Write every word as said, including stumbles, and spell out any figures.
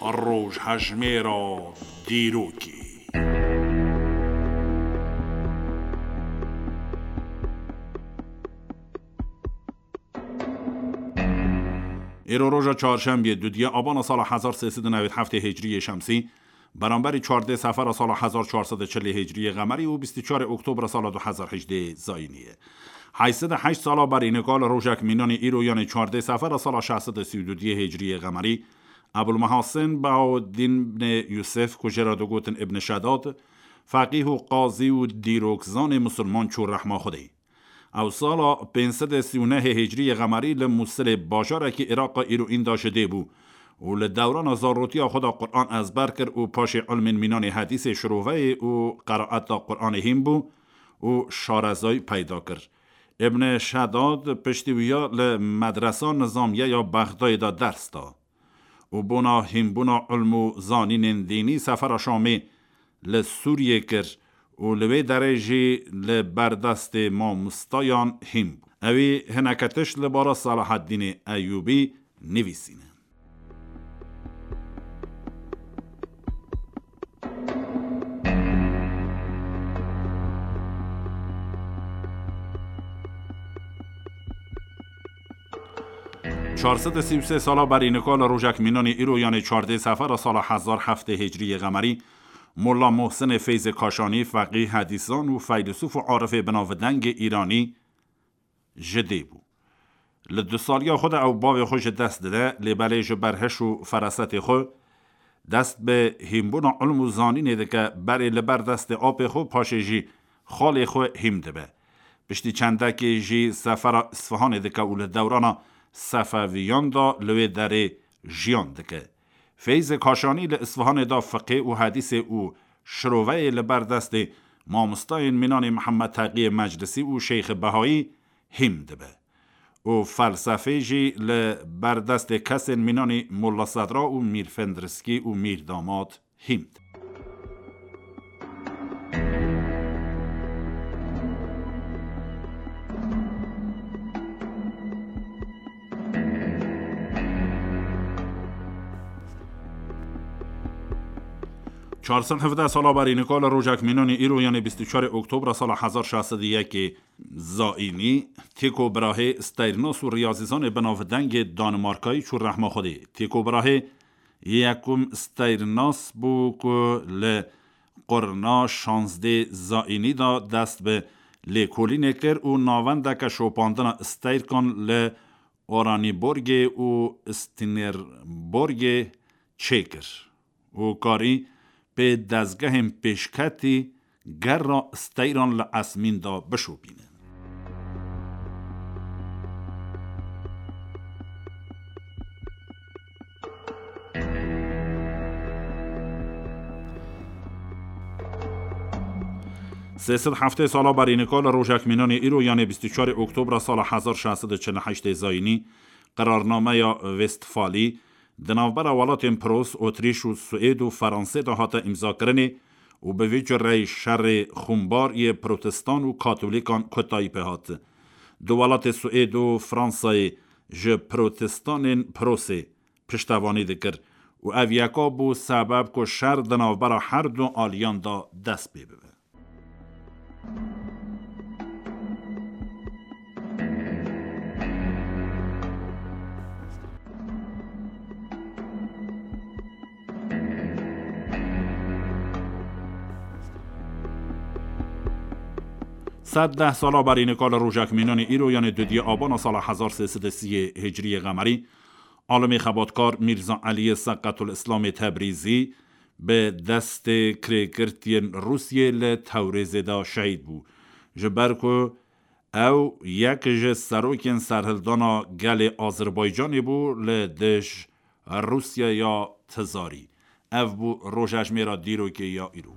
Rojhejmêra dîrokê. Îro roja çarşembiyê, dudiyê abana sala hezar sê sed û newêd heftê hicriyê şemsî, beramberî çardê sefera sala hezar çar sed û çilê hicriyê qemerî û bîst û çarê oktobra sala du hezar hejdê zayînî ye. Heyt sed û heşt sala berî nika li rojek mînanê îro, yanê çardê sefera sala şeş sed û sî û dudiyê hicriyê qemerî, Ebulmehasin Bahaweddîn bnê Yusif, ku jê re digotin Ibn Şedad, feqîh û qazî û dîrokzanê misilman çû rehma Xwedê. Ew sala pênc sed û sî û nehê hicriyê qemerî li Mûsilê, bajarekî Îraqa îro înda, ji dê bû û li dewrana zarotiya xwe de Quran ezber kir û paşê ilmên mînanê hedîsê, şiroveyê û qeraeta Quranê hîn bû û şarezayî peyda kir. Ibn Şedad piştî wiya li medresa nizamiye ya Bexdayê de ders da û bona hînbûna ilm û zanînên dînî sefera Şamê li Sûriyê kir û li wê derê jî li ber destê mamostayan hîn bû. Ewî hineke tişt li bara Selaheddînê Eyûbî nivîsîne. Çar sed û sî û sê sala berî nika li rojek mînanê îro, yanê çardê sefera sala hezar heftê hicriyê qemerî, Molla Mohsinê Feyzê Kaşanî, feqî, hedîsan û feylesûf û arifê binavdengê îranî, ji dê bû. Li dusaliya xwe de ew bavê xwe ji dest dide, lê belê ji ber hiş û ferasetê xwe dest bi hînbûna ilm û zanînê dike, berê li ber destê apê xwe, paşê jî xalê xwe hîm dibe. Piştî çendekê jî sefera Isfihanê dike û li dewrana Sefeviyan de li wê derê jiyan dike. Feyzê Kaşanî li Isfihanê de fiqê û hedîsê û şiroveyê li ber destê mamostayên mînanê Mihemed Teqiyê Meclisî û Şeyxê Behayî hîm dibe û felsefê jî li ber destê kesên mînanî Molla Sedra û Mîr Fendriskî û Mîr Damat hîm dibe. Çar sed hevdeh sala berî nika li rojek mînanê îro, yanê bîst û çarê oktobra sala hezar şeş sed û yekê zayînî, Tycho Brahe, steyrnas û riyazîzanê binavdengê Danimarkayî, çû rehma Xwedê. Tycho Brahe yekum steyrnas bû ku li qurna şazdê zayînî de dest bi lêkolînê kir û navendeke şopandina steyrkan li Oraniborgê û Stinerborgê çêkir û karî pê dezgehên pêşketî gerra steyran li esmîn de bişopîne. Sê sed heftê sala berî nika li rojek mînanê îro, yanê bîst û çarê oktobra sala hezar şeş sed û çil û heştê zayînî, qerarnameya Westfalî di navbera welatên Pros, Otrîş û Swêd û Feransê de hate îmzakirinê û bi vî cureyî şerê xûnbar yê protestan û katolîkan kotayî pê hat. Du welatê Swêd û Fransayê ji protestanên Prosê piştevanî dikir û ev yeka bû sebeb ku şer di navbera her du aliyan de dest pê bibe. Sed deh sala berî nika li rojek mînanê îro, yanê dudiyê abana sala hezar sê sed û sî hicriyê qemerî, alimê xebatkar Mîrza Eliyê Seqetul Îslamê Tebrîzî bi destê kirêgirtiyên Rûsiyê li Tewrêzê de şehîd bû. Ji ber ku ew yek ji serokên serhildana gelê Azerbaycanê bû li dij Rûsya ya Tizarî. Ev bû rojejmêra dîrokê ya îro.